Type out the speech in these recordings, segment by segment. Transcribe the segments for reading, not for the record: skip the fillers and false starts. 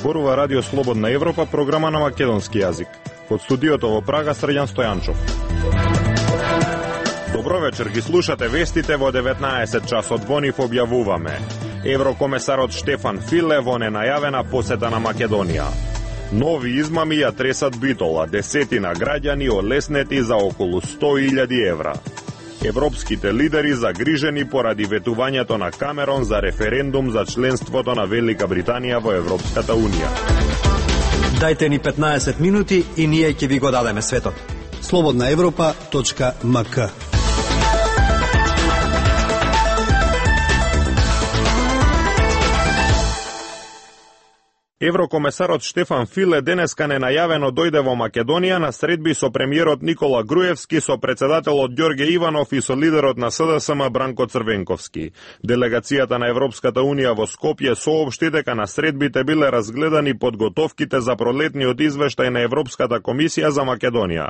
зборува Радио Слободна Европа, програма на македонски јазик. Од студиото во Прага, Срđan Стојанчов. Добро вечер, ги слушате вестите во 19 часот. Во нив објавуваме: еврокомесарот Штефан Филе во ненајавена посета на Македонија. Нови измами ја тресат Битола, десетина граѓани олеснети за околу 100.000 евра. Европските лидери загрижени поради ветувањето на Камерон за референдум за членството на Велика Британија во Европската Унија. Дајте ни 15 минути и ние ќе ви го дадеме светот. slobodnaevropa.mk. Еврокомесарот Штефан Филе денеска ненајавено дојде во Македонија на средби со премиерот Никола Груевски, со председателот Ѓорѓе Иванов и со лидерот на СДСМ Бранко Црвенковски. Делегацијата на Европската Унија во Скопје соопшти дека на средбите биле разгледани подготовките за пролетниот извештај на Европската комисија за Македонија.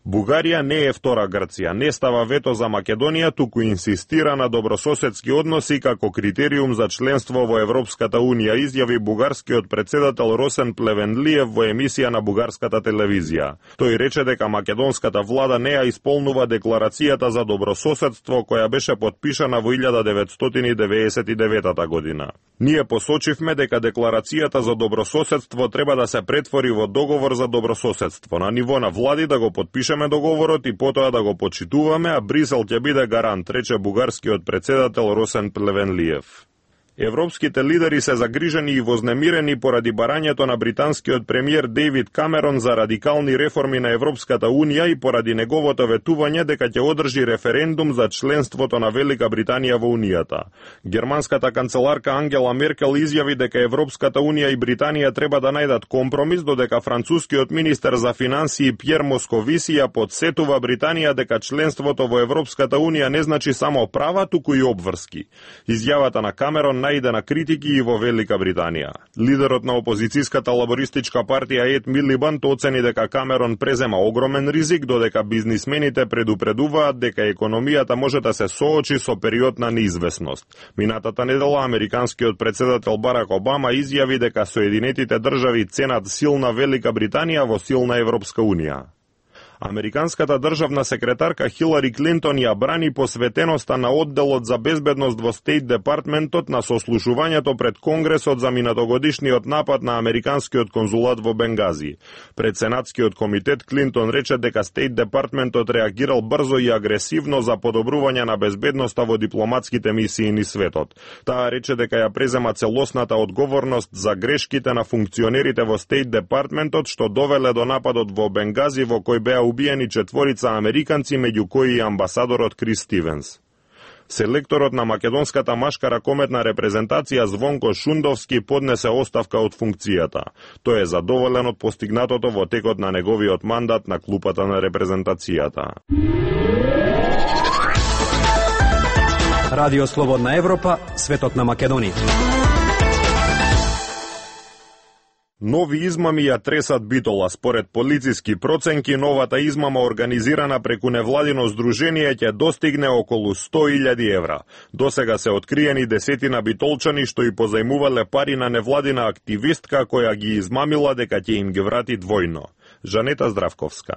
Бугарија не е втора Грција, не става вето за Македонија, туку инсистира на добрососедски односи како критериум за членство во Европската Унија, изјави бугарскиот председател Росен Плевенлиев во емисија на бугарската телевизија. Тој рече дека македонската влада не ја исполнува декларацијата за добрососедство која беше потпишана во 1999 година. Ние посочивме дека декларацијата за добрососедство треба да се претвори во договор за добрососедство, на ниво на влади да го потпишеме договорот и потоа да го почитуваме, а Брисел ќе биде гарант, рече бугарскиот председател Росен Плевенлиев. Европските лидери се загрижени и вознемирени поради барањето на британскиот премиер Дејвид Камерон за радикални реформи на Европската Унија и поради неговото ветување дека ќе одржи референдум за членството на Велика Британија во Унијата. Германската канцеларка Ангела Меркел изјави дека Европската Унија и Британија треба да најдат компромис, додека францускиот министер за финансии Пјер Московиси ја потсетува Британија дека членството во Европската Унија не значи само права, туку и обврски. Изјавата на Камерон најде на критики и во Велика Британија. Лидерот на опозицијската лабористичка партија Ед Милибанд оцени дека Камерон презема огромен ризик, додека бизнисмените предупредуваат дека економијата може да се соочи со период на неизвестност. Минатата недела американскиот председател Барак Обама изјави дека Соединетите држави ценат силна Велика Британија во силна Европска Унија. Американската државна секретарка Хилари Клинтон ја брани посветеноста на одделот за безбедност во Стейт Департментот на сослушувањето пред Конгресот за минатогодишниот напад на американскиот конзулат во Бенгази. Пред Сенатскиот комитет Клинтон рече дека Стейт Департментот реагирал брзо и агресивно за подобрување на безбедноста во дипломатските мисии низ светот. Таа рече дека ја презема целосната одговорност за грешките на функционерите во Стейт Департментот што довеле до нападот во Бенгази, во кој беа убиени 4 американци, меѓу кои и амбасадорот Крис Стивенс. Селекторот на македонската машка ракометна репрезентација Звонко Шундовски поднесе оставка од функцијата. Тој е задоволен од постигнатото во текот на неговиот мандат на клупата на репрезентацијата. Радио Слободна Европа, светот на Македонија. Нови измами ја тресат Битола. Според полициски проценки, новата измама организирана преку невладино здружение ќе достигне околу 100.000 евра. Досега се откриени десетина битолчани што и позајмувале пари на невладина активистка која ги измамила дека ќе им ги врати двојно. Жанета Здравковска.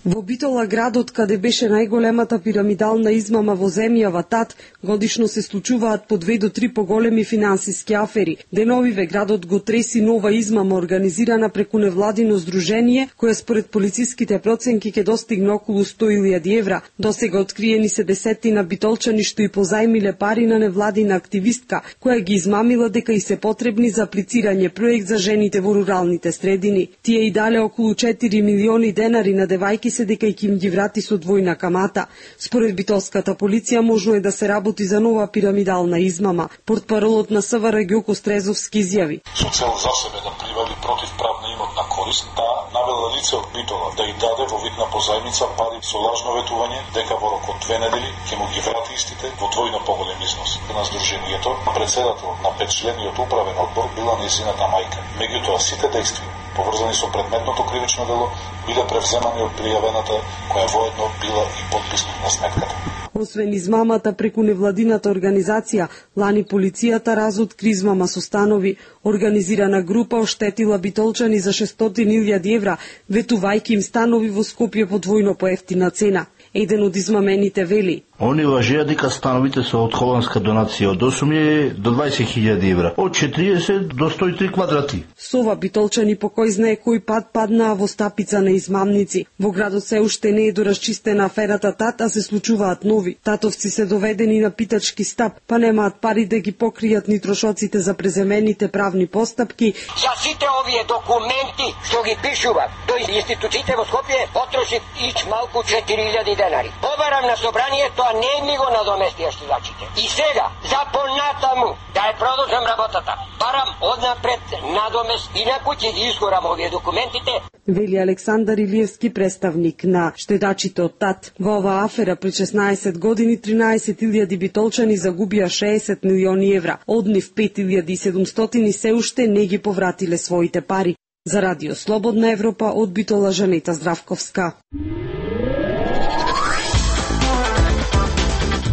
Во Битола, градот каде беше најголемата пирамидална измама во земјава ТАТ, годишно се случуваат по 2 до 3 поголеми финансиски афери. Деновиве градот го треси нова измама организирана преку невладино здружение, која според полициските проценки ќе достигне околу 100.000 евра. Досега откриени се десетина битолчани што и позајмиле пари на невладина активистка, која ги измамила дека и се потребни за аплицирање проект за жените во руралните средини. Тие и дале околу 4 милиони денари на девајки се дека ќе им ги врати со двојна камата. Според битолската полиција можно е да се работи за нова пирамидална измама. Портпаролот на СВР Ѓоко Стрезовски изјави: со цел за себе да привади противправна имотна корист, таа навела лице од Битола да и даде во вид на позајмица пари со лажно ветување дека во рок од 2 недели ќе му ги врати истите во двојно поголем износ. На здруженијето, председател на 5-члениот управен одбор била нејзината мајка. Меѓутоа сите дејства поврзани со предметното кривично дело биле превземани од пријавената, која воедно била и потписник на сметката. Освен измамата преку невладината организација, лани полицијата разоткри измама со станови. Организирана група оштетила битолчани за 600.000 евра, ветувајќи им станови во Скопје по двојно поевтина цена. Еден од измамените вели: Они лажеа дека становите се од холандска донација од 8.000 до 20.000 евра, од 40 до 103 квадрати. Со ова битолчани по кој знае кој пат паднаа во стапица на измамници. Во градот се уште не е доразчистена аферата ТАТ, а се случуваат нови. Татовци се доведени на питачки стап, па немаат пари да ги покријат ни трошоците за преземените правни постапки. За сите овие документи што ги пишував до институциите во Скопје потрошив ич малку 4.000 денари. Побарам на собранието, а не ми го надоместија штудачите. И сега, за понатаму, да ја продолжам работата, барам однапред надомест, инаку ќе ги изгорам овие документите. Вели Александар Илиевски, представник на штедачите од ТАТ. Во оваа афера пред 16 години 13.000 битолчани загубија 60 милиони евра. Од нив 5.700 се уште не ги повратиле своите пари. За Радио Слободна Европа од Битола Жанета Здравковска.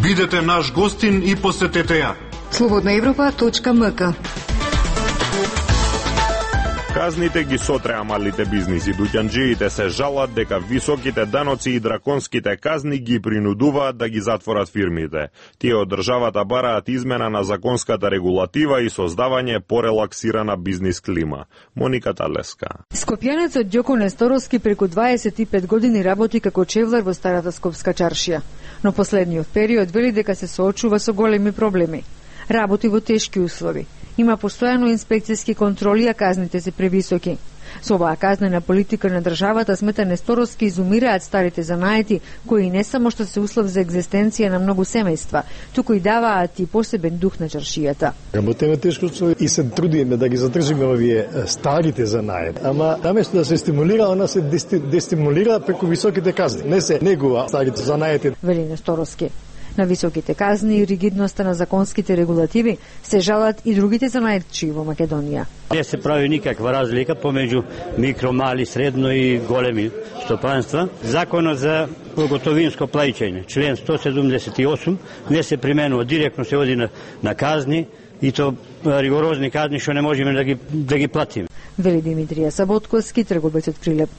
Бидете наш гостин и посетете ја. slobodnaevropa.mk. Казните ги сотреа малите бизниси. Дуќанџиите се жалат дека високите даноци и драконските казни ги принудуваат да ги затворат фирмите. Тие од државата бараат измена на законската регулатива и создавање порелаксирана бизнис клима. Моника Талеска. Скопјанецот Ѓоко Несторовски преку 25 години работи како чевлар во старата скопска чаршија, но последниот период вели дека се соочува со големи проблеми. Работи во тешки услови. Има постојано инспекцијски контроли, а казните се превисоки. Со оваа казнена политика на државата, смета Несторовски, изумираат старите занаети, кои не само што се услов за екзистенција на многу семејства, туку и даваат и посебен дух на чаршијата. Работиме тешко и се трудиме да ги задржиме овие старите занаети. Ама наместо да се стимулира, она се дестимулира преку високите казни. Не се негува старите занаети. Вели Несторовски. На високите казни и ригидноста на законските регулативи се жалат и другите занаетчи во Македонија. Не се прави никаква разлика помеѓу микро, мали, средно и големи стопанства. Законот за готовинско плаќање, член 178, не се применува, директно се оди на казни, и то ригорозни казни што не можеме да ги платиме. Вели Димитрија Саботковски, трговец од Прилеп.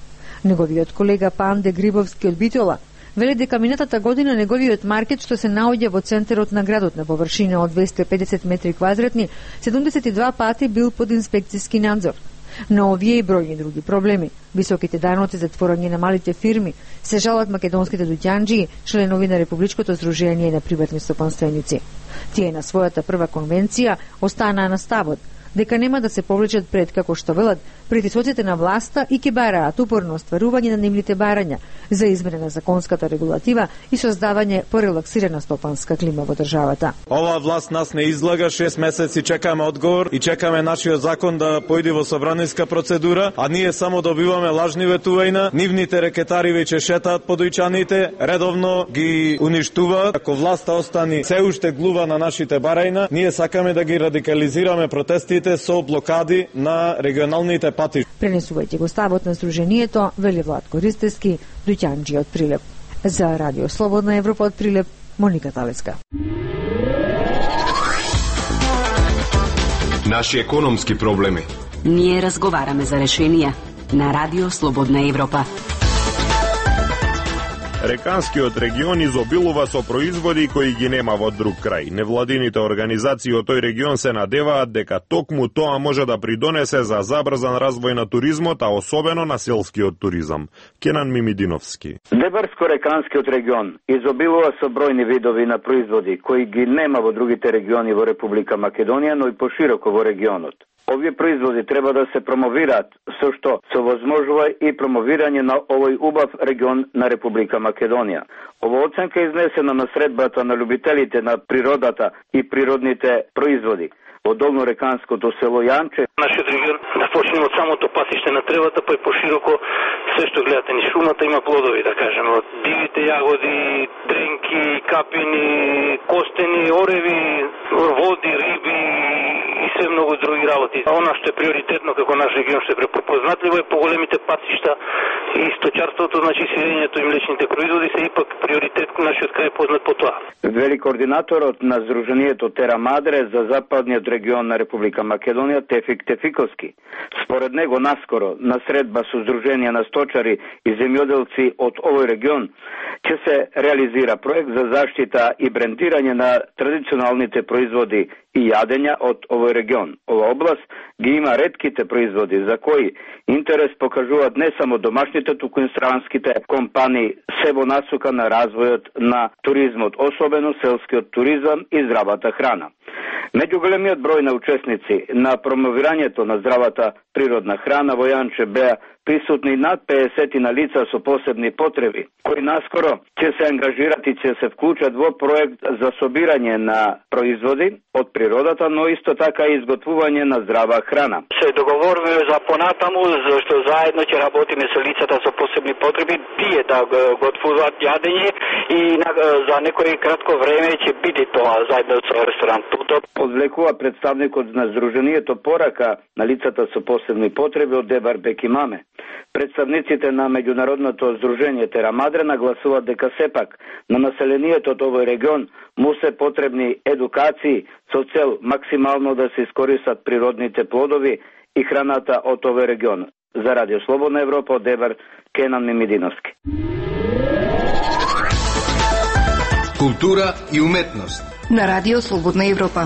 Неговиот колега Панде Грибовски од Битола вели дека минатата година неговиот маркет, што се наоѓа во центарот на градот на површина од 250 метри квадратни, 72 пати бил под инспекцијски надзор. На овие и бројни други проблеми, високите даноци, затворање на малите фирми, се жалат македонските дуќанџии, членови на Републичкото здружение на приватни стопанственици. Тие на својата прва конвенција останаа на ставот дека нема да се повлечат пред, како што велат, притисоците на власта и ќе бараат упорно остварување на нивните барања за измена на законската регулатива и создавање порелаксирана стопанска клима во државата. Оваа власт нас не излага, 6 месеци чекаме одговор и чекаме нашиот закон да појде во собраниска процедура, а ние само добиваме лажни ветувања, нивните рекетари веќе шетаат по дојчаните, редовно ги уништуваат. Ако власта остани се уште глува на нашите барања, ние сакаме да ги радикализираме протестите со блокади на регионалните пати. Пренесувајќи го ставот на Сдруженијето, вели Владко Ристевски, дуќанџи од Прилеп. За Радио Слободна Европа од Прилеп, Моника Талеска. Наши економски проблеми. Ние разговараме за решенија на Радио Слободна Европа. Реканскиот регион изобилува со производи кои ги нема во друг крај. Невладините организации од тој регион се надеваат дека токму тоа може да придонесе за забрзан развој на туризмот, а особено на селскиот туризам. Кенан Мимидиновски. Дебарско-реканскиот регион изобилува со бројни видови на производи кои ги нема во другите региони во Република Македонија, но и пошироко во регионот. Овие производи треба да се промовираат, со што се возможува и промовирање на овој убав регион на Република Македонија. Ова оценка е изнесена на средбата на љубителите на природата и природните производи во долнореканското село Јанче. Нашиот регион да почнеме од самото патиште на тревата, па и пошироко се што гледате низ шумата има плодови, да кажеме, од дивите јагоди, дренки, капини, костени, ореви, води, риби и се многу други работи. Она што е приоритетно како наш регион, што е препознатливо е поголемите патишта и сточарството, значи сирењето и млечните производи се ипак приоритет кој нашиот крај познат по тоа. Вели координаторот на Сдруженијето Тера Мадре за западниот регион на Република Македонија Тефик Тефиковски. Според него наскоро на средба со Сдруженија на сточари и земјоделци од овој регион ќе се реализира проект за заштита и брендирање на традиционалните производи и јадења од овој регион. Ова област ги има ретките производи за кои интерес покажуваат не само домашните, туку и странските компании се во насока на развојот на туризмот, особено селскиот туризам и здравата храна. Меѓу големиот број на учесници на промовирањето на здравата природна храна во Јанче беа присутни над 50 на лица со посебни потреби, кои наскоро ќе се ангажират и ќе се вклучат во проект за собирање на производи од природата, но исто така и изготвување на здрава храна. Се договориме за понатаму, зашто заедно ќе работиме со лицата со посебни потреби, тие да готвуваат јадење и за некој кратко време ќе биде тоа заедно со ресторант Тутоп. Одвлекува представникот на Сдруженијето порака на лицата со посебни потреби од Дебар Бекимаме. Представниците на Меѓународното Сдружение Тера Мадре нагласуваат дека сепак на населението од овој регион му се потребни едукации со цел максимално да се искористат природните плодови и храната од овој регион. За Радио Слободна Европа од Дебар, Кенан Мимидиновски. Култура и уметност на Радио Слободна Европа.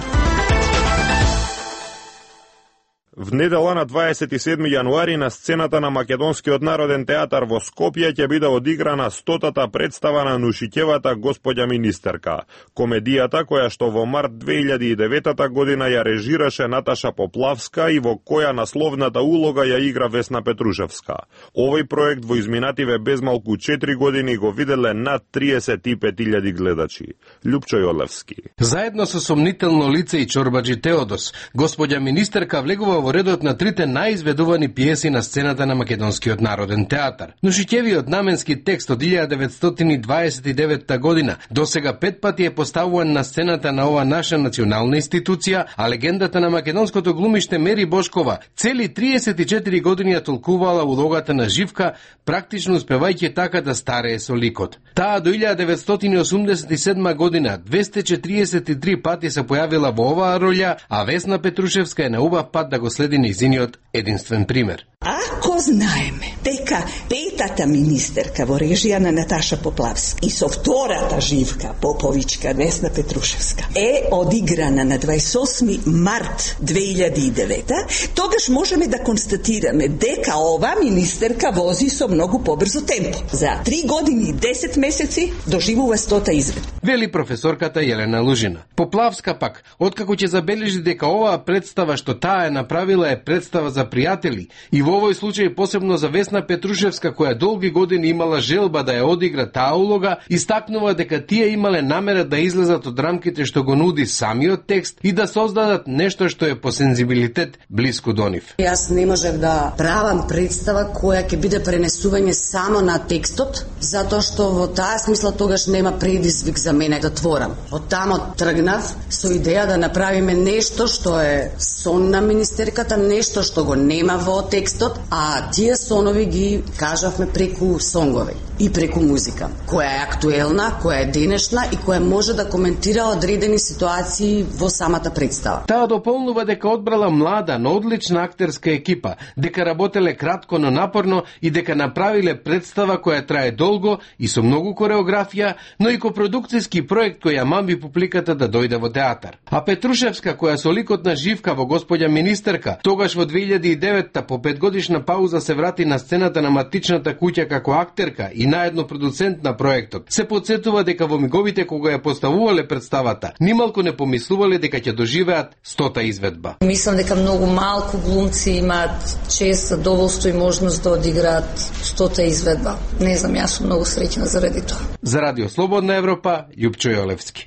В недела на 27 јануари на сцената на Македонскиот народен театар во Скопје ќе биде одиграна 100-та представа на Нушиќевата Господја министерка, комедијата која што во март 2009 година ја режираше Наташа Поплавска и во која насловната улога ја игра Весна Петрушевска. Овој проект во изминативе безмалку 4 години го виделе над 35.000 гледачи. Лјупчо Јолевски. Заедно со сомнително лице и чорбаджи Теодос, Господја министерка влегува во редот на трите најизведувани пиеси на сцената на Македонскиот народен театар. Нушиќевиот наменски текст од 1929 година досега 5 пати е поставуван на сцената на ова наша национална институција, а легендата на македонското глумиште Мери Бошкова цели 34 години ја толкувала улогата на Живка, практично успевајќи така да старее со ликот. Таа до 1987 година 243 пати се појавила во оваа роља, а Весна Петрушевска е на убав пат да го следи нејзиниот единствен пример. Ако знаеме дека петата министерка во режија на Наташа Поплавска и со втората Живка Поповичка Весна Петрушевска е одиграна на 28 март 2009, тогаш можеме да констатираме дека ова министерка вози со многу побрзо темпо. За 3 години и 10 месеци доживува 100-та изведба. Вели професорката Јелена Лужина. Поплавска пак, откако ќе забележи дека оваа представа што таа е направила е представа за пријатели и во овој случај посебно за Весна Петрушевска, која долги години имала желба да ја одигра таа улога, истакнува дека тие имале намера да излезат од рамките што го нуди самиот текст и да создадат нешто што е по сензибилитет блиску до нив. Јас не можев да правам представа која ќе биде пренесување само на текстот, затоа што во таа смисла тогаш нема предизвик за мене да творам. Од тамо тргнав со идеја да направиме нешто што е сон на министерката, нешто што го нема во текстот, а тие сонови ги кажавме преку сонгови и преку музика, која е актуелна, која е денешна и која може да коментира одредени ситуации во самата представа. Таа дополнува дека одбрала млада, но одлична актерска екипа, дека работеле кратко, но напорно и дека направиле представа која трае долго и со многу кореографија, но и копродукцијски проект кој ја мамби публиката да дојде во театар. А Петрушевска, која со ликот на Живка во Господја министерка, тогаш во 2009 по 5-годишна пауза се врати на сцената на матичната куќа како актерка и наедно продуцент на проектот. Се потсетува дека во миговите кога ја поставувале представата, нималку не помислувале дека ќе доживеат 100-та изведба. Мислам дека многу малку глумци имаат чест, задоволство и можност да одиграат 100-та изведба. Не знам, јас сум многу среќна заради тоа. За Радио Слободна Европа, Лјупчо Јолевски.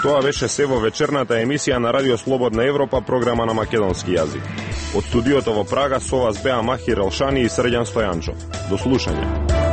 Тоа беше се во вечерната емисија на Радио Слободна Европа, програма на македонски јазик. Од студиото во Прага со вас беа Махир Елшани и Срđan Стојанчов. До слушање.